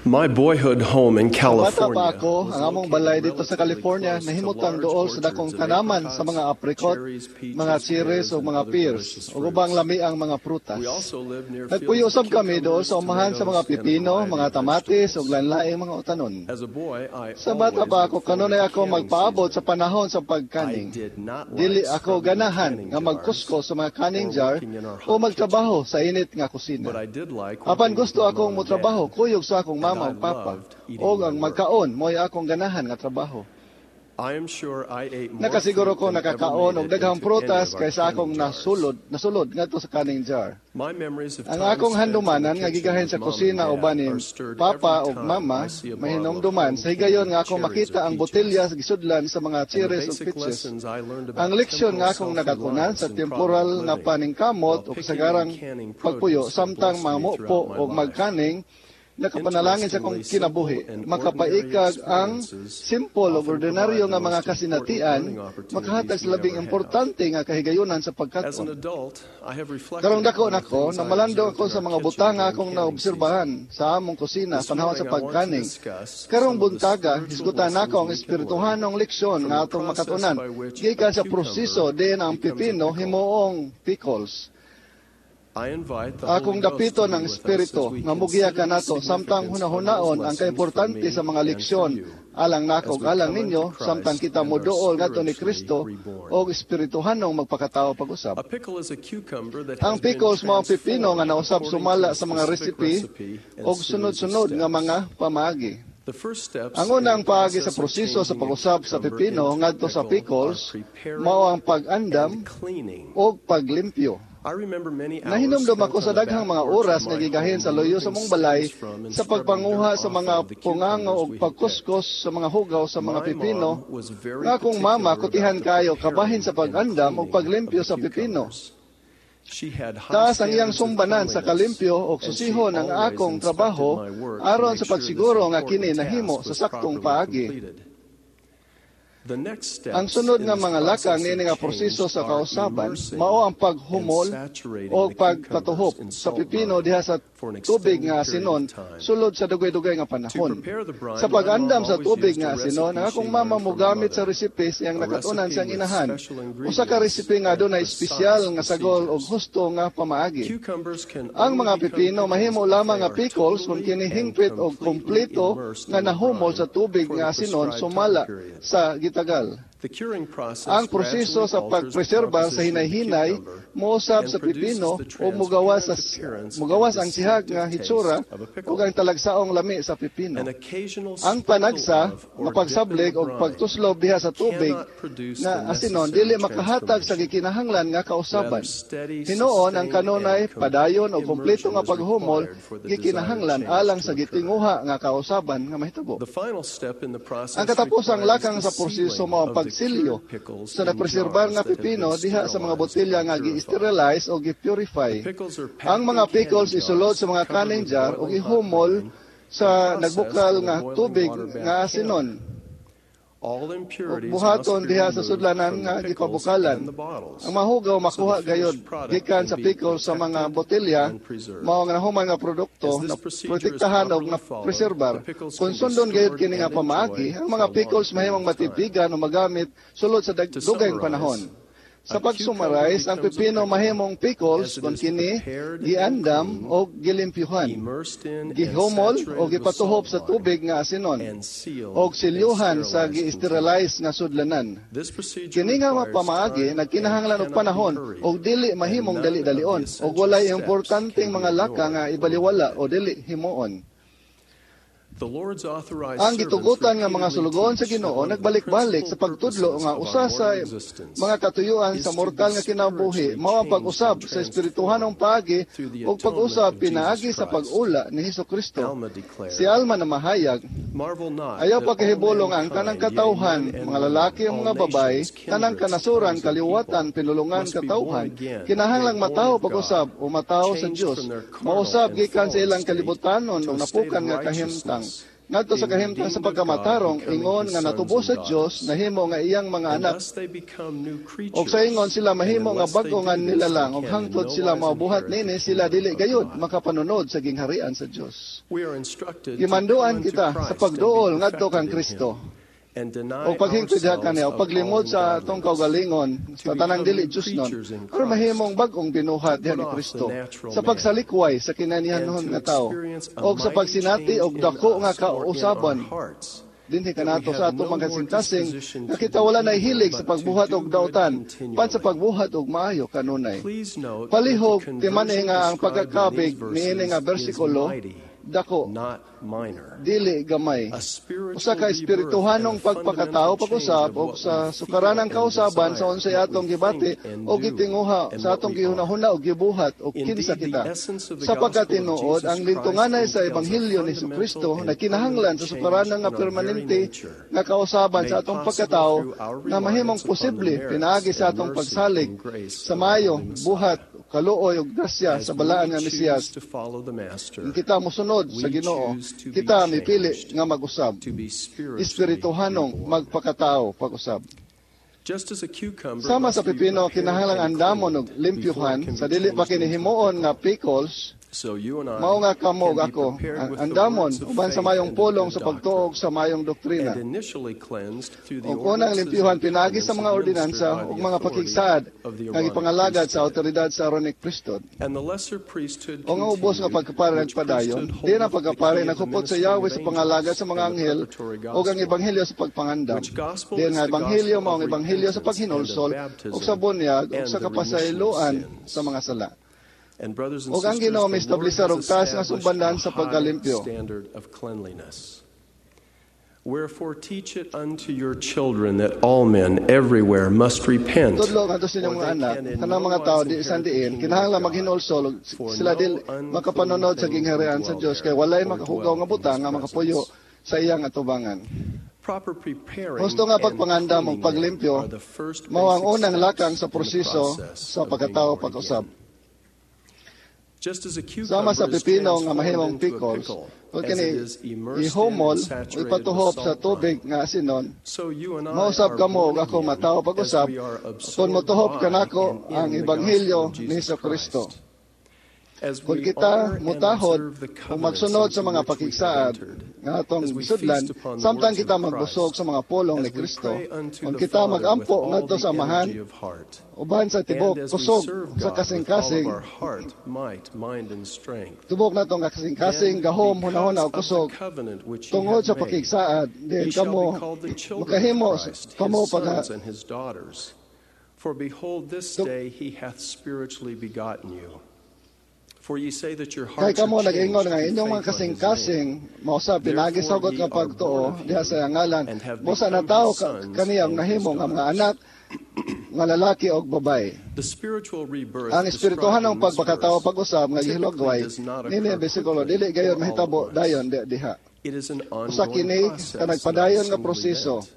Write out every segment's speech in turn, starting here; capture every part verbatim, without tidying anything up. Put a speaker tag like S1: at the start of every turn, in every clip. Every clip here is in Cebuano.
S1: My boyhood home in
S2: Sa bata
S1: California
S2: pa ako,
S1: was
S2: ang among
S1: located
S2: balay dito sa
S1: relatively
S2: California
S1: close to
S2: nahimutang
S1: large
S2: duol sa
S1: orchards
S2: dakong
S1: of
S2: tanaman sa
S1: apricots,
S2: mga apricot,
S1: cherries, peaches,
S2: mga cherries
S1: pears,
S2: ug
S1: and
S2: mga
S1: other
S2: pears,
S1: delicious
S2: ug ubang
S1: fruits.
S2: lami ang mga prutas.
S1: We also lived near
S2: Nagpuyo
S1: fields of
S2: usab kami duol
S1: cucumbers,
S2: sa umahan sa mga
S1: tomatoes, and a
S2: pipino,
S1: variety
S2: mga
S1: of
S2: tamatis
S1: vegetables.
S2: ug lain-laing mga utanon.
S1: As a boy, I
S2: Sa bata
S1: always
S2: pa
S1: looked
S2: ako,
S1: forward
S2: kanunay
S1: to
S2: ako
S1: canning
S2: magpaabot
S1: season.
S2: sa panahon sa
S1: I
S2: pagkaning.
S1: did not
S2: Dili
S1: like
S2: ako
S1: scrubbing the
S2: ganahan
S1: canning
S2: nga
S1: jars
S2: magkusko sa mga canning
S1: or
S2: jar
S1: working in our
S2: o
S1: hot kitchen.
S2: magtrabaho sa init nga kusina.
S1: But I did like
S2: Apan
S1: working with
S2: gusto
S1: my
S2: akong
S1: mom and
S2: motrabaho
S1: dad,
S2: kuyog sa akong
S1: and
S2: mama
S1: I
S2: ug papa.
S1: loved eating
S2: Og
S1: my
S2: ang
S1: work.
S2: magkaon mo'y akong ganahan nga trabaho.
S1: I am sure I ate more
S2: Nakasiguro
S1: fruit
S2: ko
S1: than ever
S2: nakakaon
S1: made
S2: og
S1: it
S2: daghang
S1: into any
S2: prutas
S1: of our
S2: kaysa akong
S1: canning jars.
S2: nasulod nasulod ngadto sa canning jar.
S1: My memories of
S2: Ang
S1: time
S2: akong
S1: spent in the
S2: handumanan nga
S1: kitchen
S2: gigahin
S1: with
S2: sa
S1: mom and
S2: kusina
S1: dad
S2: uban ni
S1: are stirred
S2: papa
S1: every
S2: ug
S1: time
S2: mama
S1: I see a bottle of
S2: mahinumduman
S1: home
S2: sa higayon
S1: canned
S2: nga akong
S1: cherries or
S2: makita ang
S1: peaches.
S2: botelya sa gisudlan sa mga
S1: And the
S2: cherries ug
S1: basic
S2: peaches.
S1: lessons I learned
S2: Ang
S1: about
S2: leksyon
S1: temporal
S2: nga akong nakatunan
S1: self-reliance
S2: sa
S1: and
S2: temporal
S1: provident
S2: nga
S1: living
S2: paningkamot
S1: while
S2: ug
S1: picking and
S2: kasagarang
S1: canning
S2: pagpuyo
S1: produce have
S2: samtang
S1: blessed me
S2: mamupo
S1: throughout my
S2: og
S1: life.
S2: magkaning nakapanalangin sa akong
S1: Interestingly, simple
S2: kinabuhi.
S1: and ordinary
S2: Makapaikag ang
S1: experiences
S2: simple ug
S1: often provide
S2: ordinaryo
S1: the
S2: nga mga
S1: most important
S2: kasinatian
S1: learning opportunities
S2: makahatag sa
S1: we
S2: labing
S1: ever have.
S2: importante nga kahigayunan sa
S1: As an
S2: pagkat-on.
S1: adult, I have reflected
S2: Karong dako
S1: upon the
S2: nako,
S1: things I
S2: namalandong
S1: observed
S2: ako
S1: in
S2: sa
S1: our
S2: mga
S1: kitchen
S2: butang nga
S1: during
S2: akong
S1: canning season.
S2: naobserbahan sa among kusina
S1: This
S2: panahon sa
S1: morning, I want to
S2: pagkaning.
S1: discuss
S2: Karong
S1: some of the
S2: buntaga,
S1: spiritual
S2: hisgutan nako
S1: lessons
S2: ang
S1: we can learn
S2: espirituhanong leksyon
S1: from
S2: nga
S1: the
S2: atong
S1: process
S2: makatunan
S1: by which a
S2: gikan sa
S1: cucumber
S2: proseso diin ang
S1: becomes a
S2: pipino
S1: pickle.
S2: himuong pickles.
S1: I invite the
S2: Akong
S1: Holy Ghost
S2: dapiton
S1: to be
S2: ang
S1: with us as
S2: Espiritu
S1: we
S2: nga mugiya
S1: consider the
S2: kanato samtang
S1: significance of those
S2: hunahunaon ang
S1: lessons for
S2: kaimportante
S1: me
S2: sa mga
S1: and for
S2: leksyon
S1: you
S2: alang nako
S1: as
S2: ug
S1: we
S2: alang
S1: come unto
S2: ninyo samtang
S1: Christ
S2: kita
S1: and are
S2: moduol ngadto ni
S1: spiritually
S2: Kristo
S1: reborn.
S2: og espirituhanong magpakatawo pag-usab.
S1: A pickle is a cucumber that
S2: Ang
S1: has been
S2: pickles mao ang pipino nga
S1: transformed
S2: nausab
S1: according to
S2: sumala
S1: a
S2: sa mga
S1: specific
S2: recipe
S1: recipe and
S2: og
S1: series of
S2: sunod-sunod nga
S1: steps.
S2: mga pamaagi.
S1: The first steps
S2: Ang
S1: in the
S2: unang paagi sa
S1: process of
S2: proseso sa
S1: changing a
S2: pag-usab sa
S1: cucumber
S2: pipino
S1: into a
S2: ngadto sa
S1: pickle are
S2: pickles
S1: preparing
S2: mao ang pag-andam
S1: and cleaning.
S2: og paglimpyo.
S1: I remember many hours
S2: Nahinumdum
S1: spent
S2: ako
S1: on
S2: sa
S1: the
S2: daghang
S1: back
S2: mga
S1: porch of
S2: oras nga
S1: my
S2: gigahin
S1: home
S2: sa luyo sa
S1: removing
S2: mong balay
S1: stems from and
S2: sa
S1: scrubbing
S2: pagpanguha
S1: dirt
S2: sa
S1: off
S2: mga
S1: of the
S2: pungango
S1: cucumbers
S2: ug
S1: we had picked.
S2: pagkuskos sa mga hugaw sa mga
S1: My
S2: pipino
S1: mom was very
S2: nga akong mama
S1: particular about
S2: kutihan
S1: the
S2: kayo kabahin
S1: preparing
S2: sa
S1: and
S2: pag-andam ug
S1: cleaning of
S2: paglimpyo
S1: the
S2: sa pipino.
S1: cucumbers. She had high
S2: Taas ang iyang
S1: standards of
S2: sumbanan sa
S1: cleanliness,
S2: kalimpyo ug
S1: and she
S2: susihon ang
S1: always
S2: akong
S1: inspected
S2: trabaho
S1: my work to
S2: aron
S1: make
S2: sa
S1: sure this
S2: pagsiguro nga kini
S1: important
S2: nahimo
S1: task
S2: sa
S1: was
S2: saktong
S1: properly
S2: paagi.
S1: completed. The next
S2: Ang
S1: steps
S2: sunod
S1: in
S2: nga
S1: this
S2: mga lakang
S1: process
S2: niini
S1: of
S2: nga
S1: change
S2: proseso sa
S1: are
S2: kausaban
S1: immersing
S2: mao ang
S1: and
S2: paghumol
S1: saturating
S2: o
S1: the cucumbers
S2: pagpatuhop
S1: in
S2: sa
S1: salt
S2: pipino
S1: brine
S2: diha sa
S1: for an
S2: tubig
S1: extended
S2: nga
S1: period of
S2: asinon
S1: time.
S2: sulod sa dugay-dugay nga
S1: To
S2: panahon.
S1: prepare the brine,
S2: Sa
S1: my mom
S2: pag-andam sa
S1: always
S2: tubig
S1: used
S2: nga
S1: a
S2: asinon, ang
S1: recipe she
S2: akong mama
S1: learned from her
S2: mogamit sa
S1: mother,
S2: recipe siyang
S1: a
S2: nakatunan
S1: recipe
S2: siyang
S1: with
S2: inahan.
S1: special
S2: Usa ka
S1: ingredients
S2: recipe nga
S1: and
S2: adunay
S1: precise
S2: espesyal nga sagol ug
S1: procedures.
S2: husto nga pamaagi.
S1: Cucumbers can
S2: Ang
S1: only
S2: mga
S1: become
S2: pipino
S1: pickles
S2: mahimo
S1: if
S2: lamang
S1: they
S2: nga
S1: are
S2: pickles kung
S1: totally
S2: kini
S1: and
S2: hingpit og
S1: completely
S2: kompleto
S1: immersed
S2: nga
S1: in the
S2: nahumol
S1: brine
S2: sa tubig
S1: for
S2: nga
S1: the
S2: asinon
S1: prescribed time
S2: sumala
S1: period.
S2: sa gitagal.
S1: The curing process
S2: Ang proseso
S1: gradually
S2: sa
S1: alters the
S2: pagpreserba sa
S1: composition of the
S2: hinay-hinay
S1: cucumber
S2: mousab
S1: and
S2: sa
S1: produces
S2: pipino
S1: the
S2: o mugawas
S1: transparent
S2: sa
S1: appearance and
S2: mugawas ang sihag nga
S1: distinctive
S2: hitsura
S1: taste of a
S2: ug
S1: pickle.
S2: ang talagsaong lami sa pipino.
S1: An occasional
S2: Ang
S1: sprinkle
S2: panagsa
S1: of or
S2: nga
S1: dip in the
S2: pagsablig og
S1: brine
S2: pagtuslob diha sa tubig
S1: cannot produce
S2: nga
S1: the
S2: asinon
S1: necessary
S2: dili makahatag sa
S1: transformation.
S2: gikinahanglan nga kausaban.
S1: Rather, steady,
S2: Hinuon ang
S1: sustained,
S2: kanunay
S1: and
S2: padayon
S1: complete
S2: og kompleto
S1: immersion
S2: nga
S1: is
S2: paghumol
S1: required for the desired
S2: gikinahanglan
S1: change
S2: alang
S1: to
S2: sa
S1: occur.
S2: gitinguha nga kausaban nga mahitabo.
S1: The final step in the
S2: Ang
S1: process
S2: katapusang
S1: requires
S2: lakang
S1: the
S2: sa proseso
S1: sealing
S2: mao ang
S1: of the
S2: pagsilyo
S1: cured pickles
S2: sa
S1: in
S2: napreserbar
S1: jars
S2: nga
S1: that have been
S2: pipino diha sa mga
S1: sterilized
S2: botelya
S1: and
S2: nga
S1: purified.
S2: gi-sterilize o gi-purify.
S1: The pickles are
S2: Ang
S1: packed
S2: mga
S1: in
S2: pickles
S1: canning
S2: isulod
S1: jars
S2: sa mga
S1: covered
S2: canning
S1: with
S2: jar ug
S1: boiling hot
S2: ihumol
S1: brine
S2: sa
S1: and processed
S2: nagbukal
S1: in a
S2: nga
S1: boiling
S2: tubig
S1: water
S2: nga
S1: bath
S2: asinon.
S1: canner. All
S2: Ug
S1: impurities must
S2: buhaton
S1: be
S2: diha sa
S1: removed
S2: sudlanan
S1: from
S2: nga
S1: the pickles
S2: gipabukalan.
S1: and the bottles
S2: Ang mahugaw
S1: so the
S2: makuha gayod
S1: finished product
S2: gikan
S1: can
S2: sa
S1: be
S2: pickles sa mga
S1: protected
S2: botelya
S1: and preserved.
S2: mao nga nahuman nga produkto
S1: As this
S2: na
S1: procedure is
S2: protektahan og
S1: properly followed,
S2: na-preserbar.
S1: the pickles
S2: Kung
S1: can be
S2: sundon gayud
S1: stored
S2: kini nga
S1: and
S2: pamaagi,
S1: enjoyed
S2: ang
S1: for
S2: mga
S1: a long
S2: pickles
S1: period
S2: mahimong
S1: of time.
S2: matipigan o magamit sulod sa dag-
S1: To
S2: dugayng
S1: summarize,
S2: panahon. Sa
S1: a cucumber
S2: pag-summarize, ang
S1: becomes a
S2: pipino
S1: pickle
S2: mahimong pickles
S1: as it
S2: kung
S1: is
S2: kini
S1: prepared and
S2: giandam
S1: cleaned,
S2: o gilimpyuhan,
S1: immersed in and
S2: gihumol o
S1: saturated with
S2: gipatuhop
S1: salt
S2: sa
S1: brine,
S2: tubig nga asinon,
S1: and sealed
S2: og
S1: in
S2: silyuhan sa
S1: sterilized containers.
S2: gi-sterilize nga sudlanan.
S1: This procedure
S2: Kini nga
S1: requires
S2: pamaagi
S1: time and
S2: nagkinahanglan og
S1: cannot be
S2: panahon
S1: hurried,
S2: og dili
S1: and
S2: mahimong
S1: none of the
S2: dali-dalion og
S1: essential
S2: walay
S1: steps
S2: importanteng
S1: can be
S2: mga laka
S1: ignored
S2: nga
S1: or
S2: ibaliwala o
S1: neglected.
S2: dili himuon.
S1: The Lord's authorized
S2: Ang
S1: servants
S2: gitugutan nga mga
S1: repeatedly
S2: sulugoon sa
S1: teach that
S2: Ginoo
S1: one of the
S2: nagbalik-balik sa
S1: principal
S2: pagtudlo
S1: purposes
S2: nga
S1: of our
S2: usa sa
S1: mortal existence
S2: mga katuyuan
S1: is
S2: sa
S1: to be
S2: mortal nga kinabuhi
S1: spiritually
S2: mao ang
S1: changed
S2: pag-usab
S1: and
S2: sa espirituhanong
S1: transformed
S2: paagi
S1: through the
S2: ug
S1: atonement
S2: pag-usab
S1: of Jesus
S2: pinaagi sa
S1: Christ.
S2: pag-ula ni Hesukristo.
S1: Alma
S2: Si
S1: declared,
S2: Alma na mahayag,
S1: Marvel not
S2: ayaw
S1: that all
S2: pagkahibulong ang kanang
S1: mankind, yea,
S2: katawhan,
S1: men and
S2: mga
S1: women,
S2: lalaki o
S1: all
S2: mga babae,
S1: nations,
S2: tanang
S1: kindreds,
S2: kanasuran,
S1: tongues, and people,
S2: kaliwatan, pinulungan,
S1: must be born
S2: katawhan,
S1: again, yea,
S2: kinahanglang
S1: born
S2: matawo
S1: of God,
S2: pag-usab o matawo sa
S1: changed
S2: Dios,
S1: from their carnal
S2: mausab
S1: and
S2: gikan sa
S1: fallen
S2: ilang
S1: state
S2: kalibutanon
S1: to
S2: o
S1: a state
S2: napukan
S1: of
S2: nga kahimtang.
S1: righteousness
S2: Ngadto sa
S1: being
S2: kahimtang sa
S1: redeemed of God,
S2: pagkamatarong,
S1: becoming
S2: ingon
S1: his
S2: nga
S1: sons
S2: natubos
S1: and
S2: sa Dios,
S1: daughters.
S2: Nahimo nga iyang mga
S1: And
S2: anak.
S1: thus they become new
S2: Og sa ingon
S1: creatures.
S2: sila
S1: And
S2: mahimo nga
S1: unless they
S2: bag-o
S1: do
S2: nga
S1: this, they
S2: nilalang og
S1: can in
S2: hangtod
S1: no
S2: sila
S1: wise
S2: mabuhat
S1: inherit the
S2: nini sila
S1: kingdom
S2: dili
S1: of
S2: gayud
S1: God.
S2: Makapanunod sa gingharian sa Dios.
S1: We are instructed to
S2: Gimanduan
S1: come unto
S2: kita sa
S1: Christ and be
S2: pagduol ngadto
S1: perfected
S2: kang
S1: in
S2: Kristo.
S1: him, and deny
S2: O paghingpit diha
S1: ourselves
S2: kaniya, o
S1: of all
S2: paglimod sa atong
S1: ungodliness,
S2: kaugalingon,
S1: to
S2: sa tanang
S1: become
S2: dili
S1: new
S2: Diyosnon,
S1: creatures in
S2: aron
S1: Christ,
S2: mahimong bag-ong binuhat
S1: to
S2: diha
S1: put
S2: ni
S1: off the
S2: Kristo,
S1: natural
S2: sa
S1: man,
S2: pagsalikway sa
S1: and
S2: kinanihanon
S1: to
S2: nga tao,
S1: experience a
S2: og sa
S1: mighty
S2: pagsinati
S1: change
S2: og
S1: in
S2: dako nga
S1: us or in our
S2: kausaban
S1: hearts,
S2: dinhi
S1: that we
S2: kanato sa
S1: have
S2: atong
S1: no
S2: mga
S1: more
S2: kasing-kasing
S1: disposition
S2: nga
S1: to
S2: kita
S1: do
S2: wala nay
S1: evil,
S2: hilig sa
S1: but to
S2: pagbuhat
S1: do
S2: og
S1: good
S2: dautan pan sa
S1: continually.
S2: Pagbuhat og maayo kanunay.
S1: Please note that the
S2: Palihog timani
S1: conversion
S2: nga ang
S1: described in these
S2: pagkakabig niini
S1: verses
S2: nga
S1: is
S2: bersikulo
S1: mighty,
S2: dako,
S1: not minor.
S2: Dili gamay.
S1: A spiritual
S2: Usa ka
S1: rebirth and
S2: espirituhanong
S1: a fundamental
S2: pagpakatao
S1: change
S2: pag-usab
S1: of
S2: og
S1: what we
S2: sa
S1: feel
S2: sukaranang
S1: and
S2: kausaban sa
S1: desire,
S2: unsay
S1: what
S2: atong
S1: we
S2: gibati
S1: think and
S2: o
S1: do,
S2: gitinguha
S1: and
S2: sa
S1: what
S2: atong
S1: we are.
S2: gihunahuna o gibuhat o kinsa
S1: Indeed, the
S2: kita.
S1: essence of the
S2: Sa
S1: gospel of
S2: pagkatinuod,
S1: Jesus
S2: ang
S1: Christ
S2: lintunganay sa
S1: entails a
S2: ebanghelyo ni
S1: fundamental
S2: Kristo
S1: and
S2: na kinahanglan
S1: permanent
S2: sa
S1: change
S2: sukaranan
S1: in
S2: nga
S1: our very
S2: permanente
S1: nature,
S2: nga kausaban sa
S1: made
S2: atong
S1: possible
S2: pagkatao
S1: through our
S2: nga mahimong
S1: reliance upon the
S2: posible
S1: merits
S2: pinaagi sa
S1: and
S2: atong
S1: mercy
S2: pagsalig
S1: and grace
S2: sa
S1: of the
S2: maayo,
S1: Holy Messiah.
S2: Buhat, kaluoy ug grasya
S1: As
S2: sa balaan
S1: we
S2: nga
S1: choose
S2: Mesiyas.
S1: To follow the Master,
S2: Kung kita mosunod sa
S1: we
S2: Ginoo,
S1: choose to be
S2: kita mipili
S1: changed,
S2: nga mag-usab.
S1: To be spiritually
S2: Espirituhanong
S1: reborn.
S2: Magpakatao pag-usab.
S1: Just as a cucumber
S2: Sama sa
S1: must be
S2: pipino,
S1: prepared
S2: kinahanglan
S1: and
S2: andamon og
S1: cleaned before it
S2: limpyuhan
S1: can
S2: sa
S1: be
S2: dili pa
S1: changed into a
S2: kini himuon nga
S1: pickle.
S2: pickles,
S1: So you and I
S2: mao nga kamo
S1: can be
S2: ako
S1: prepared
S2: ang
S1: with the
S2: andamon
S1: words of
S2: uban sa
S1: faith
S2: mayong
S1: and of
S2: pulong
S1: good
S2: sa pagtuog
S1: doctrine,
S2: sa mayong doktrina.
S1: and initially cleansed through the
S2: Og unang
S1: ordinances
S2: limpyuhan
S1: and
S2: pinaagi sa
S1: covenants
S2: mga
S1: administered
S2: ordinansa
S1: by
S2: ug
S1: the
S2: mga
S1: authority
S2: pakigsaad
S1: of the
S2: nga
S1: Aaronic
S2: gipangalagad sa
S1: priesthood.
S2: awtoridad sa Aaronic priesthood.
S1: And the lesser priesthood
S2: O nga ubos nga
S1: continued,
S2: pagkapari
S1: which
S2: nagpadayon,
S1: priesthood
S2: di na
S1: holdeth the
S2: pagkapari
S1: key of the
S2: nakupot sa
S1: ministering
S2: Yahweh
S1: of
S2: sa pangalagad
S1: angels
S2: sa mga
S1: and the
S2: anghel
S1: preparatory
S2: o ang
S1: gospel.
S2: Ebanghelyo sa pagpangandam.
S1: Which gospel
S2: Di
S1: is
S2: nga
S1: the
S2: ebanghelyo
S1: gospel
S2: mao
S1: of
S2: ang ebanghelyo sa
S1: repentance and of
S2: paghinulsol ug
S1: baptism
S2: sa bunyag ug
S1: and
S2: sa
S1: the remission of
S2: kapasayloan
S1: sins.
S2: Sa mga sala.
S1: And brothers and
S2: Og ang
S1: sisters,
S2: Ginoo
S1: the Lord
S2: miestablisar
S1: has
S2: og taas nga
S1: established
S2: sumbandan
S1: a
S2: sa
S1: high
S2: pagkalimpyo.
S1: Standard of cleanliness. Wherefore teach it unto your children that all men everywhere must repent,
S2: Tudlo ngadto sa inyong
S1: or
S2: mga
S1: they
S2: anak,
S1: can in
S2: kanang
S1: no
S2: mga tao
S1: wise
S2: di
S1: inherit
S2: isan
S1: the
S2: diin,
S1: kingdom
S2: kinahanglan
S1: of God.
S2: maghinulsol ug
S1: For
S2: sila
S1: no
S2: dili
S1: unclean
S2: makapanunod sa
S1: thing can
S2: gingharian sa
S1: dwell
S2: Dios
S1: there
S2: kay walay
S1: or
S2: makahugaw
S1: dwell
S2: nga
S1: in
S2: butang
S1: his
S2: nga makapuyo
S1: presence.
S2: Sa iyang atubangan.
S1: Proper preparing
S2: Husto nga
S1: and
S2: pagpangandam ug
S1: cleaning
S2: paglimpyo
S1: are the first
S2: mao ang
S1: basic
S2: unang
S1: steps
S2: lakang sa
S1: in the
S2: proseso
S1: process
S2: sa
S1: of being
S2: pagkatao
S1: born
S2: pag-usab.
S1: again. Just as a
S2: Sama sa
S1: cucumber is
S2: pipino nga
S1: transformed
S2: mahimong
S1: into a
S2: pickles,
S1: pickle,
S2: kung
S1: as
S2: kini
S1: it is immersed in
S2: ihumol
S1: and
S2: o
S1: saturated with
S2: ipatuhop sa
S1: salt
S2: tubig
S1: brine,
S2: nga asinon,
S1: so you and I
S2: mausab
S1: are
S2: kamo
S1: born
S2: ug ako
S1: again
S2: matawo
S1: as
S2: pag-usab
S1: we are
S2: kung
S1: absorbed
S2: motuhop
S1: by
S2: kanako
S1: and in
S2: ang
S1: the
S2: ebanghelyo
S1: gospel of
S2: ni
S1: Jesus
S2: Hesus Kristo.
S1: Christ. As
S2: Kung
S1: we
S2: kita
S1: honor and
S2: mutahod
S1: observe the
S2: ug
S1: covenants
S2: magsunod sa
S1: into
S2: mga
S1: which we have
S2: pakigsaad
S1: entered,
S2: nga atong
S1: as we
S2: sudlan,
S1: feast upon the
S2: samtang
S1: words
S2: kita
S1: of
S2: magbusog
S1: Christ,
S2: sa mga pulong
S1: as
S2: ni
S1: we
S2: Kristo,
S1: pray unto
S2: kung
S1: the
S2: kita
S1: Father with
S2: magampo
S1: all
S2: ngadto
S1: the
S2: sa Amahan,
S1: energy of heart,
S2: uban sa tibok
S1: and as we
S2: kusog
S1: serve
S2: sa
S1: God with all of
S2: kasing-kasing,
S1: our heart, might, mind, and strength,
S2: tibok natong kasing-kasing,
S1: then
S2: gahom, hunahuna
S1: because
S2: ug
S1: of
S2: kusog,
S1: the covenant which he
S2: tungod
S1: hath
S2: sa
S1: made,
S2: pakigsaad,
S1: ye
S2: diin
S1: shall
S2: kamo
S1: be called the children of
S2: makahimo
S1: Christ,
S2: kamo
S1: his
S2: pagha
S1: sons and his daughters. For behold, this
S2: Tung-
S1: day he hath spiritually begotten you. For ye say that your
S2: Kay
S1: hearts
S2: kamo
S1: are
S2: nag-ingon
S1: changed
S2: nga
S1: through
S2: inyong mga
S1: faith on his name.
S2: kasing-kasing mausab pinaagi sa
S1: Therefore
S2: hugot
S1: ye
S2: nga
S1: are
S2: pagtuo
S1: born of
S2: diha
S1: him,
S2: sa iyang ngalan
S1: and have
S2: busa
S1: become
S2: natawo
S1: his
S2: ka,
S1: sons
S2: kaniyang
S1: and his
S2: nahimo nga mga
S1: daughters.
S2: Anak nga lalaki og babaye.
S1: The spiritual rebirth
S2: Ang
S1: described
S2: espirituhanong
S1: in this
S2: pagpakatao
S1: verse
S2: pag-usab nga
S1: typically
S2: gihilogway
S1: does not
S2: nini
S1: occur
S2: ang bersikulo
S1: quickly
S2: dili gayon
S1: or all at
S2: mahitabo
S1: once.
S2: dayon di, diha.
S1: It is an
S2: Usa
S1: ongoing
S2: kini
S1: process,
S2: ka
S1: not a
S2: nagpadayon nga
S1: single
S2: proseso
S1: event.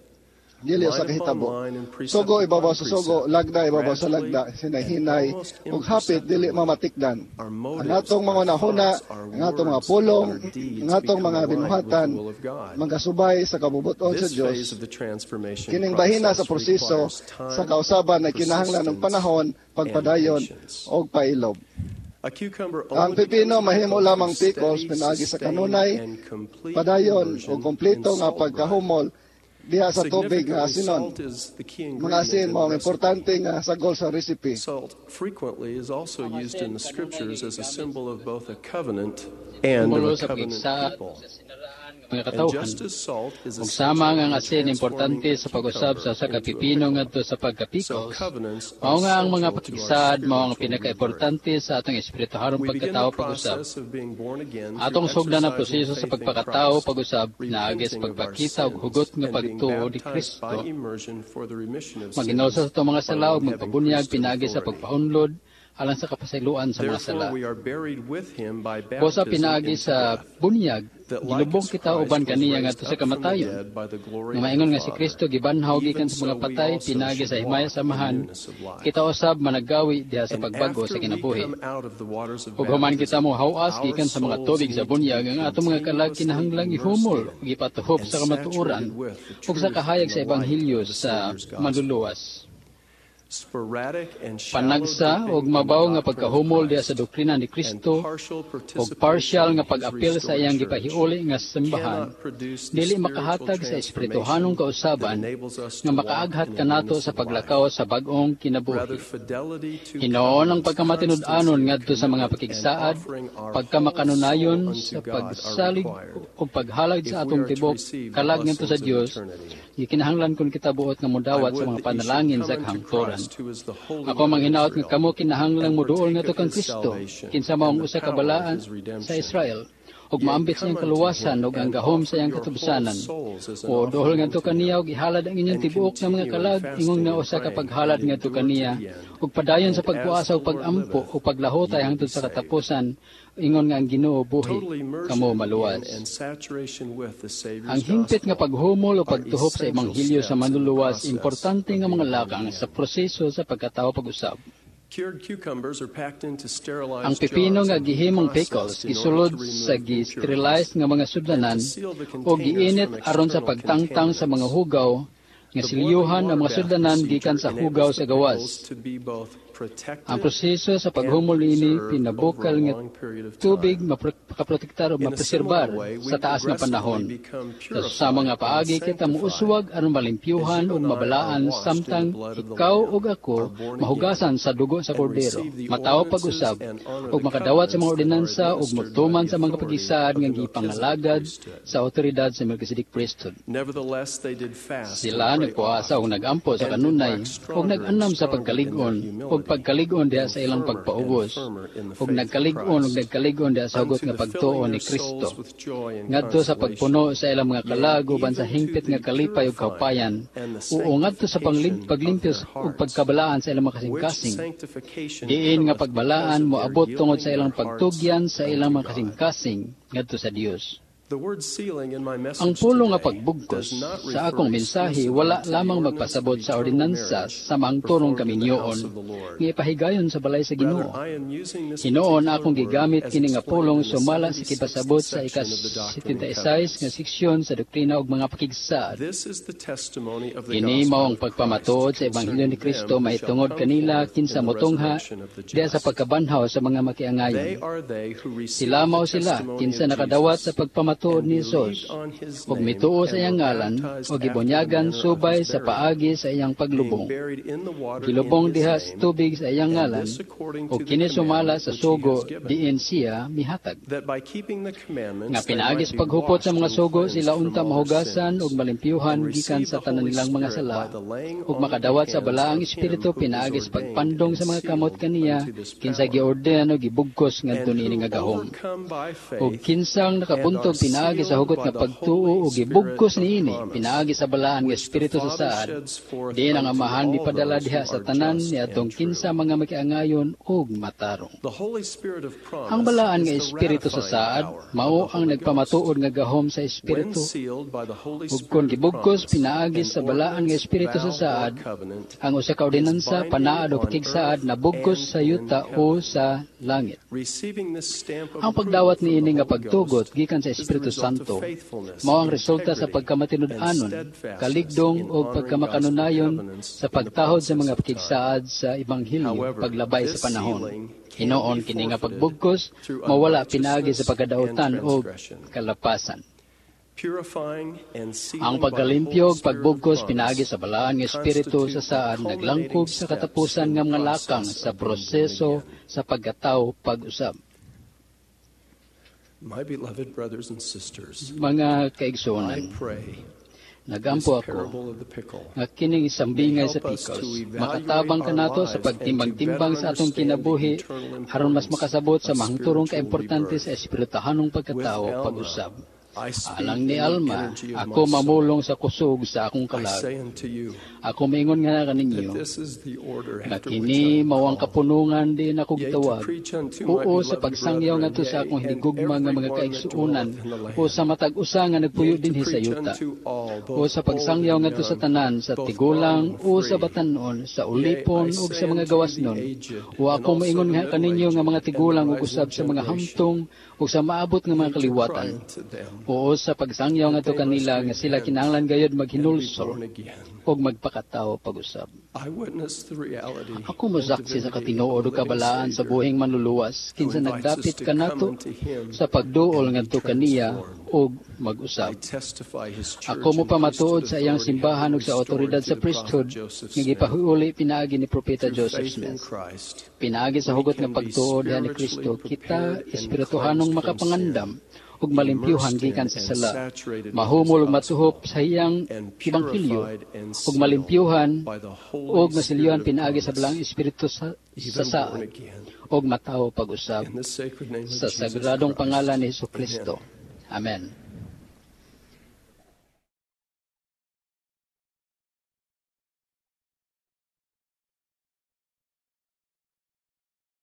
S2: Dili sa
S1: Line upon
S2: kahitabo.
S1: line and precept
S2: Sugo
S1: upon
S2: ibabaw sa sugo,
S1: precept,
S2: lagda ibabaw sa
S1: gradually
S2: lagda,
S1: and
S2: hinay-hinay
S1: almost
S2: ug hapit dili
S1: imperceptibly,
S2: mamatikdan.
S1: our
S2: Ang
S1: motives,
S2: atong mga
S1: our
S2: hunahuna,
S1: thoughts, our
S2: ang atong mga
S1: words, and
S2: pulong,
S1: our deeds
S2: ang atong
S1: become
S2: mga
S1: aligned with the
S2: binuhatan,
S1: will of God.
S2: magasubay sa kabubuton sa
S1: This
S2: Dios.
S1: Phase of the transformation
S2: Kining bahina sa
S1: process
S2: proseso
S1: requires time,
S2: sa kausaban ay kinahanglan ng
S1: persistence,
S2: panahon,
S1: and
S2: pagpadayon
S1: patience.
S2: ug pailob.
S1: A cucumber
S2: Ang
S1: only
S2: pipino
S1: becomes a
S2: mahimo
S1: pickle
S2: lamang
S1: through
S2: pickles
S1: steady,
S2: pinaagi sa
S1: sustained,
S2: kanunay,
S1: and complete
S2: padayon
S1: immersion
S2: ug kompleto
S1: in
S2: nga
S1: salt brine.
S2: pagkahumol diha sa tubig nga
S1: Significantly,
S2: asinon.
S1: salt is the key
S2: Mga
S1: ingredient
S2: asin
S1: in
S2: mao ang
S1: the recipe.
S2: importante nga sagol sa recipe.
S1: Salt frequently is also
S3: Ang
S1: used in
S3: asin
S1: the
S3: kanunay
S1: scriptures as a
S3: gigamit
S1: symbol of both a covenant and of
S3: simbolo
S1: a
S3: sa
S1: covenant
S3: pagsaad
S1: people.
S3: sa sinaraan nga mga
S1: And
S3: katawhan.
S1: just as salt is
S3: Ug sama
S1: essential
S3: nga ang
S1: in
S3: asin
S1: transforming
S3: importante
S1: a
S3: sa pag-usab sa
S1: cucumber
S3: usa ka
S1: into a
S3: pipino
S1: pickle,
S3: ngadto sa
S1: so
S3: pagka-pickles,
S1: covenants
S3: mao
S1: are
S3: nga ang mga
S1: central to our
S3: pakigsaad mao ang
S1: spiritual rebirth.
S3: pinaka-importante sa atong espirituhanong
S1: We begin the
S3: pagkatao pag-usab.
S1: Process of being born again through
S3: Atong sugdan ang
S1: exercising
S3: proseso sa
S1: faith in
S3: pagpakatao
S1: Christ,
S3: pag-usab naagi sa
S1: repenting of our
S3: pagpakita og
S1: sins,
S3: hugot nga
S1: and being
S3: pagtuo ni
S1: baptized
S3: Kristo.
S1: By immersion for the remission of
S3: Maginoo
S1: sins
S3: sa atong mga
S1: by
S3: sala ug
S1: one having
S3: magpabunyag
S1: priesthood
S3: pinaagi sa
S1: authority.
S3: pagpaunlod alang sa kapasayloan sa mga sala.
S1: Therefore, we are buried with him by
S3: Busa
S1: baptism
S3: pinaagi
S1: into
S3: sa
S1: death,
S3: bunyag
S1: that That like
S3: Gilubong
S1: as
S3: kita
S1: Christ
S3: uban
S1: was
S3: kaniya
S1: raised
S3: ngadto sa
S1: up from the
S3: kamatayon.
S1: dead by the glory
S3: Nga
S1: of
S3: maingon
S1: the
S3: nga si
S1: Father,
S3: Kristo gibanhaw
S1: even
S3: gikan sa
S1: so
S3: mga
S1: we
S3: patay
S1: also
S3: pinaagi
S1: should
S3: sa himaya
S1: walk in
S3: samahan,
S1: newness of life.
S3: kita usab managawi diha sa
S1: And
S3: pagbago
S1: after
S3: sa
S1: we
S3: kinabuhi.
S1: come out of the waters of
S3: Ug human kita
S1: baptism,
S3: mo hawas
S1: our
S3: gikan sa mga
S1: souls
S3: tubig sa
S1: need to be
S3: bunyag, ang atong mga kalag
S1: continuously
S3: kinahanglang
S1: immersed
S3: ihumol
S1: in
S3: ug ipatuhop
S1: and
S3: sa kamatuoran
S1: saturated with the
S3: ug sa
S1: truth
S3: kahayag
S1: and
S3: sa
S1: the light
S3: ebanghelyo
S1: of the
S3: sa
S1: Savior's gospel.
S3: manluluwas.
S1: Sporadic and shallow
S3: Panagsa
S1: dipping
S3: og
S1: in the
S3: mabaw nga
S1: doctrine of
S3: pagkahumol diha sa
S1: Christ
S3: doktrina ni
S1: and
S3: Kristo
S1: partial
S3: og
S1: participation
S3: partial
S1: in
S3: nga
S1: His
S3: pag-apil sa
S1: restored
S3: iyang
S1: church
S3: gipahiuli nga simbahan
S1: cannot produce the
S3: dili
S1: spiritual
S3: makahatag sa
S1: transformation
S3: espirituhanong
S1: that
S3: kausaban
S1: enables us
S3: nga
S1: to walk
S3: makaaghat
S1: in the
S3: kanato
S1: newness
S3: sa
S1: of life.
S3: paglakaw sa bag-ong
S1: Rather,
S3: kinabuhi.
S1: fidelity to
S3: Hinoon ang
S1: covenants,
S3: pagkamatinud-anon
S1: constancy of
S3: ngadto sa mga
S1: commitment, and
S3: pakigsaad,
S1: offering our whole
S3: pagkamakanunayon
S1: soul
S3: sa
S1: unto God are
S3: pagsalig
S1: required
S3: ug paghalad
S1: if
S3: sa
S1: we
S3: atong
S1: are to
S3: tibok
S1: receive the
S3: kalag ngadto sa
S1: blessings of
S3: Dios,
S1: eternity.
S3: gikinahanglan kun kita buot nga
S1: I
S3: modawat sa
S1: would
S3: mga
S1: that ye should
S3: panalangin
S1: come
S3: sa
S1: unto
S3: kahangturan.
S1: Christ, who is the Holy
S3: Ako
S1: One of
S3: manghinaot nga
S1: Israel,
S3: kamo kinahanglang
S1: and
S3: moduol
S1: partake
S3: ngadto
S1: of
S3: kang
S1: his
S3: Kristo,
S1: salvation
S3: kinsa mao
S1: and
S3: ang
S1: the
S3: usa ka
S1: power of
S3: balaan
S1: his
S3: sa
S1: redemption.
S3: Israel, ug
S1: Yea,
S3: maambit sa
S1: come
S3: iyang
S1: unto
S3: kaluwasan
S1: him
S3: ug ang
S1: and
S3: gahom sa
S1: offer
S3: iyang
S1: your whole
S3: katubsanan.
S1: souls as an
S3: O duol
S1: offering
S3: ngadto
S1: unto
S3: kaniya
S1: him,
S3: ug ihalad ang inyong
S1: and
S3: tibuok nga mga
S1: continue in
S3: kalag ingon
S1: fasting
S3: nga
S1: and
S3: usa ka
S1: praying,
S3: paghalad
S1: and
S3: ngadto
S1: endure to
S3: kaniya
S1: the end.
S3: ug padayon sa
S1: And as
S3: pagpuasa
S1: the
S3: ug
S1: Lord
S3: pagampo
S1: liveth,
S3: ug paglahutay
S1: ye will be
S3: hangtod sa
S1: saved.
S3: katapusan ingon nga ang Ginoo buhi
S1: Total immersion
S3: kamo
S1: in
S3: maluwas.
S1: and saturation with the Savior's
S3: Ang hingpit nga
S1: gospel
S3: paghumol o
S1: are
S3: pagtuhop sa
S1: essential
S3: ebanghelyo sa
S1: steps in the
S3: manluluwas
S1: process
S3: importante
S1: of
S3: nga mga
S1: being born
S3: lakang sa
S1: again.
S3: proseso sa pagkatawo pag-usab.
S1: Cured cucumbers are packed into
S3: Ang
S1: sterilized
S3: pipino
S1: jars
S3: nga
S1: and
S3: gihimong
S1: processed
S3: pickles
S1: in order
S3: gisulod
S1: to remove
S3: sa
S1: impurities
S3: gi-sterilize nga mga
S1: and to
S3: sudlanan
S1: seal the
S3: o
S1: containers
S3: giinit
S1: from
S3: aron sa
S1: external
S3: pagtangtang sa mga
S1: contaminants.
S3: hugaw nga
S1: The boiling
S3: silyuhan ang
S1: water
S3: mga
S1: bath
S3: sudlanan gikan
S1: procedure
S3: sa
S1: enables
S3: hugaw
S1: the
S3: sa gawas.
S1: pickles to be both
S3: Ang
S1: protected
S3: proseso sa
S1: and
S3: paghumol niini
S1: preserved over
S3: pinabukal
S1: a
S3: nga
S1: long period of
S3: tubig
S1: time.
S3: makaprotektar o
S1: In a similar
S3: mapreserbar
S1: way, we
S3: sa taas nga
S1: progressively
S3: panahon.
S1: become
S3: Sa susama nga
S1: purified and
S3: paagi kita
S1: sanctified
S3: muuswag aron
S1: as
S3: malimpyuhan
S1: you
S3: ug
S1: and I are
S3: mabalaan
S1: washed in the
S3: samtang
S1: blood of the
S3: ikaw
S1: Lamb,
S3: ug ako
S1: are born again,
S3: mahugasan sa dugo sa
S1: and
S3: kordero,
S1: receive the
S3: matawo
S1: ordinances
S3: pag-usab
S1: and honor
S3: ug
S1: the
S3: makadawat sa mga
S1: covenants that are
S3: ordinansa ug
S1: administered by
S3: motuman
S1: the
S3: sa mga
S1: authority
S3: pagisaad
S1: of
S3: nga
S1: the Melchizedek
S3: gipangalagad
S1: priesthood.
S3: sa otoridad sa Melchizedek priesthood.
S1: Nevertheless, they did fast and
S3: Sila
S1: pray
S3: nagpuasa
S1: oft,
S3: ug nagampo sa
S1: and did
S3: kanunay
S1: wax
S3: ug
S1: stronger and
S3: nag-anam sa
S1: stronger in their
S3: pagkalig-on ug
S1: humility,
S3: pagkalig-on diha
S1: and
S3: sa ilang
S1: firmer and
S3: pagpaubos
S1: firmer in the
S3: ug
S1: faith of
S3: nagkalig-on ug
S1: Christ,
S3: nagkalig-on diha sa hugot
S1: unto
S3: nga
S1: the
S3: pagtuo
S1: filling
S3: ni
S1: their
S3: Kristo
S1: souls with joy and
S3: ngadto sa pagpuno
S1: consolation,
S3: sa ilang mga
S1: yea,
S3: kalag uban sa
S1: even to
S3: hingpit
S1: the
S3: nga kalipay ug
S1: purifying
S3: kaupayan
S1: and the
S3: ug ngadto sa panglim-
S1: sanctification of
S3: paglimpyo
S1: their
S3: ug
S1: hearts,
S3: pagkabalaan sa ilang mga
S1: which
S3: kasing-kasing
S1: sanctification
S3: diin nga
S1: cometh because
S3: pagbalaan
S1: of their
S3: moabot tungod
S1: yielding
S3: sa ilang
S1: their hearts
S3: pagtugyan sa ilang
S1: unto
S3: mga
S1: God.
S3: kasing-kasing ngadto sa Dios.
S1: The word sealing in my
S3: Ang
S1: message
S3: pulong nga
S1: today
S3: pagbugkos
S1: does not
S3: sa
S1: refer
S3: akong mensahe
S1: exclusively
S3: wala
S1: to the
S3: lamang
S1: ordinance of
S3: magpasabot sa
S1: eternal
S3: ordinansa
S1: marriage
S3: sa maangturong
S1: performed in the house
S3: kaminyoon
S1: of the Lord.
S3: nga ipahigayon sa balay sa
S1: Rather,
S3: Ginoo.
S1: I am using this
S3: Hinoon
S1: particular
S3: akong
S1: word
S3: gigamit
S1: as
S3: kini nga
S1: explained
S3: pulong
S1: in the
S3: sumala sa
S1: seventy-sixth
S3: kipasabot sa
S1: section of the Doctrine and
S3: ika-seventy-six nga
S1: Covenants.
S3: seksyon sa doktrina ug mga pakigsaad.
S1: This is the testimony of the
S3: Kini
S1: gospel
S3: mao ang
S1: of Christ
S3: pagpamatuod sa ebanghelyo
S1: concerning
S3: ni Kristo
S1: them who shall
S3: mahitungod
S1: come
S3: kanila
S1: forth in
S3: kinsa
S1: the
S3: motungha
S1: resurrection of the
S3: diha sa
S1: just.
S3: pagkabanhaw sa mga
S1: They
S3: makiangayon.
S1: are they who received
S3: Sila
S1: the
S3: mao sila
S1: testimony
S3: kinsa
S1: of
S3: nakadawat
S1: Jesus
S3: sa pagpamatuod
S1: and
S3: ni
S1: believed
S3: Jesus
S1: on his
S3: ug
S1: name
S3: mituo sa
S1: and
S3: iyang
S1: were
S3: ngalan
S1: baptized
S3: ug
S1: after the
S3: gibunyagan
S1: manner of
S3: subay
S1: his
S3: sa
S1: burial,
S3: paagi sa iyang
S1: being
S3: paglubong.
S1: buried in the water in
S3: Gilubong
S1: his
S3: diha sa
S1: name,
S3: tubig sa iyang
S1: and
S3: ngalan
S1: this according
S3: ug
S1: to the
S3: kini sumala
S1: commandment
S3: sa
S1: which he
S3: sugo
S1: has given,
S3: diin siya mihatag.
S1: that by keeping the commandments
S3: Nga
S1: they
S3: pinaagi
S1: might
S3: sa
S1: be
S3: paghupot sa
S1: washed
S3: mga
S1: and
S3: sugo
S1: cleansed
S3: sila
S1: from
S3: unta
S1: all their
S3: mahugasan
S1: sins,
S3: ug malimpyuhan
S1: and
S3: gikan
S1: receive
S3: sa
S1: the
S3: tanan
S1: Holy
S3: nilang mga
S1: Spirit
S3: sala
S1: by the laying
S3: ug
S1: on of the
S3: makadawat sa
S1: hands
S3: balaang
S1: of him
S3: espiritu
S1: who was
S3: pinaagi sa
S1: ordained
S3: pagpandong
S1: and
S3: sa mga kamot
S1: sealed
S3: kaniya
S1: unto this
S3: kinsa
S1: power,
S3: giorden o gibugkos ngadto
S1: and
S3: niini
S1: who
S3: nga gahom.
S1: overcome by
S3: Ug
S1: faith
S3: kinsang
S1: and are
S3: nakabuntog pinaagi sa
S1: sealed
S3: hugot
S1: by
S3: nga
S1: the
S3: pagtuo
S1: Holy
S3: ug
S1: Spirit
S3: gibugkos
S1: of
S3: niini
S1: promise,
S3: pinaagi sa balaan nga
S1: which the
S3: espiritu sa
S1: Father
S3: saad
S1: sheds forth
S3: diin ang
S1: unto
S3: Amahan
S1: all
S3: mipadala
S1: those
S3: diha
S1: who
S3: sa
S1: are
S3: tanan
S1: just
S3: niadtong
S1: and
S3: kinsa
S1: true.
S3: mga makiangayon ug matarong.
S1: The Holy Spirit of
S3: Ang
S1: promise
S3: balaan
S1: is
S3: nga
S1: the
S3: espiritu sa
S1: ratifying
S3: saad
S1: power of
S3: mao
S1: the
S3: ang
S1: Holy Ghost.
S3: nagpamatuod nga gahom sa
S1: When
S3: espiritu
S1: sealed by the Holy
S3: ug kon
S1: Spirit of
S3: gibugkos
S1: promise,
S3: pinaagi
S1: an
S3: sa balaan nga
S1: ordinance,
S3: espiritu sa
S1: vow, or
S3: saad
S1: covenant
S3: ang usa ka
S1: is
S3: ordinansa
S1: binding
S3: panaad o
S1: on
S3: pakigsaad
S1: earth
S3: na bugkos
S1: and
S3: sa
S1: in
S3: yuta o
S1: heaven.
S3: sa langit.
S1: Receiving this stamp of
S3: Ang
S1: approval
S3: pagdawat
S1: from the
S3: niini nga
S1: Holy
S3: pagtugot
S1: Ghost
S3: gikan sa
S1: is the
S3: Espiritu
S1: result of
S3: Santo
S1: faithfulness,
S3: mao ang resulta sa
S1: integrity, and
S3: pagkamatinud-anon,
S1: steadfastness
S3: kaligdong
S1: in
S3: ug
S1: honoring gospel
S3: pagkamakanunayon
S1: covenants
S3: sa
S1: in the
S3: pagtahod sa
S1: process
S3: mga
S1: of time.
S3: pakigsaad sa ebanghelyo
S1: However,
S3: paglabay sa
S1: this
S3: panahon.
S1: sealing can
S3: Hinoon
S1: be
S3: kini nga
S1: forfeited
S3: pagbugkos
S1: through
S3: mawala pinaagi sa
S1: unrighteousness and
S3: pagkadautan ug
S1: transgression.
S3: kalapasan.
S1: Purifying and
S3: Ang
S1: sealing by the
S3: pagkalimpyo
S1: Holy
S3: ug
S1: Spirit of
S3: pagbugkos pinaagi
S1: promise
S3: sa balaan nga espiritu sa
S1: constitute the
S3: saad
S1: culminating
S3: naglangkob sa
S1: steps
S3: katapusan
S1: in
S3: nga
S1: the
S3: mga lakang
S1: process
S3: sa
S1: of being born
S3: proseso
S1: again.
S3: sa pagkatawo pag-usab.
S1: My beloved brothers and sisters,
S3: Mga
S1: I
S3: kaigsuonan,
S1: pray this
S3: nagampo ako
S1: parable of the pickle
S3: nga kining
S1: may
S3: sambingay sa
S1: help us
S3: pickles
S1: to evaluate
S3: makatabang
S1: our
S3: kanato sa
S1: lives and to
S3: pagtimbang-timbang
S1: better
S3: sa atong
S1: understand the
S3: kinabuhi
S1: eternal
S3: aron mas
S1: importance
S3: makasabot sa
S1: of
S3: mahangturong
S1: spiritual
S3: kaimportante sa
S1: rebirth.
S3: espirituhanong
S1: With
S3: pagkatawo
S1: Alma,
S3: pag-usab.
S1: I speak
S3: Alang
S1: in
S3: ni
S1: the
S3: Alma,
S1: energy of
S3: ako
S1: my soul.
S3: Mamulong sa kusog sa akong
S1: I
S3: kalag.
S1: say unto you
S3: Ako maingon nga kaninyo
S1: that this is the order
S3: nga
S1: after which
S3: kini
S1: I am
S3: mao ang
S1: called.
S3: kapunungan diin ako
S1: Yea, to
S3: gitawag.
S1: preach unto my
S3: Oo, sa
S1: beloved
S3: pagsangyaw
S1: brethren,
S3: ngadto sa
S1: yea,
S3: akong
S1: and
S3: hinigugma nga mga
S1: everyone that
S3: kaigsuonan
S1: dwelleth in the
S3: o
S1: land.
S3: sa matag usa nga nagpuyo
S1: Yea, to
S3: dinhi sa
S1: preach
S3: yuta.
S1: unto all,
S3: O
S1: both
S3: sa
S1: old
S3: pagsangyaw
S1: and
S3: ngadto sa
S1: young,
S3: tanan, sa
S1: both
S3: tigulang
S1: bond and
S3: o sa
S1: free.
S3: batan-on, sa
S1: Yea, I
S3: ulipon ug sa
S1: say
S3: mga
S1: unto you the
S3: gawasnon.
S1: aged,
S3: O
S1: and
S3: ako
S1: also
S3: maingon
S1: the
S3: nga kaninyo nga
S1: middle-aged,
S3: mga
S1: and the
S3: tigulang ug
S1: rising
S3: usab sa mga
S1: generation.
S3: hamtong ug sa maabot nga mga
S1: Yea, to cry
S3: kaliwatan.
S1: unto them
S3: Oo, sa pagsangyaw
S1: that
S3: ngadto
S1: they must
S3: kanila nga sila
S1: repent
S3: kinahanglan gayud
S1: and be
S3: maghinulsol
S1: born again.
S3: ug magpakatawo pag-usab.
S1: I witness the reality
S3: Ako
S1: and
S3: mosaksi sa
S1: divinity of
S3: katinuod
S1: the
S3: ug
S1: living
S3: kabalaan sa
S1: Savior
S3: buhing manluluwas
S1: who
S3: kinsa
S1: invites us
S3: nagdapit
S1: to come
S3: kanato
S1: unto Him
S3: sa pagduol
S1: and be
S3: ngadto kaniya
S1: transformed.
S3: ug
S1: I
S3: mag-usab.
S1: testify His church
S3: Ako
S1: and
S3: mopamatuod
S1: priesthood
S3: sa iyang
S1: authority have
S3: simbahan
S1: been
S3: ug sa
S1: restored
S3: awtoridad sa
S1: through the prophet
S3: priesthood
S1: Joseph
S3: nga
S1: Smith.
S3: gipahiuli pinaagi ni Propeta
S1: Through
S3: Joseph
S1: faith in
S3: Smith.
S1: Christ,
S3: Pinaagi sa
S1: we
S3: hugot nga
S1: can be
S3: pagtuo diha ni
S1: spiritually
S3: Kristo, kita
S1: prepared and
S3: espirituhanong
S1: cleansed from sin,
S3: makapangandam ug malimpyuhan
S1: immersed in
S3: gikan sa
S1: and
S3: sala,
S1: saturated with His
S3: mahumol ug
S1: gospel,
S3: matuhop sa iyang
S1: and
S3: ebanghelyo,
S1: purified and
S3: ug
S1: sealed
S3: malimpyuhan
S1: by the Holy
S3: ug
S1: Spirit
S3: masilyuhan
S1: of
S3: pinaagi sa
S1: promise,
S3: Balaang Espiritu sa, sa
S1: even born
S3: saad
S1: again.
S3: ug matawo pag-usab
S1: In the sacred name of
S3: sa
S1: Jesus
S3: sagradong
S1: Christ.
S3: pangalan ni Hesus
S1: Amen.
S3: Kristo. Amen.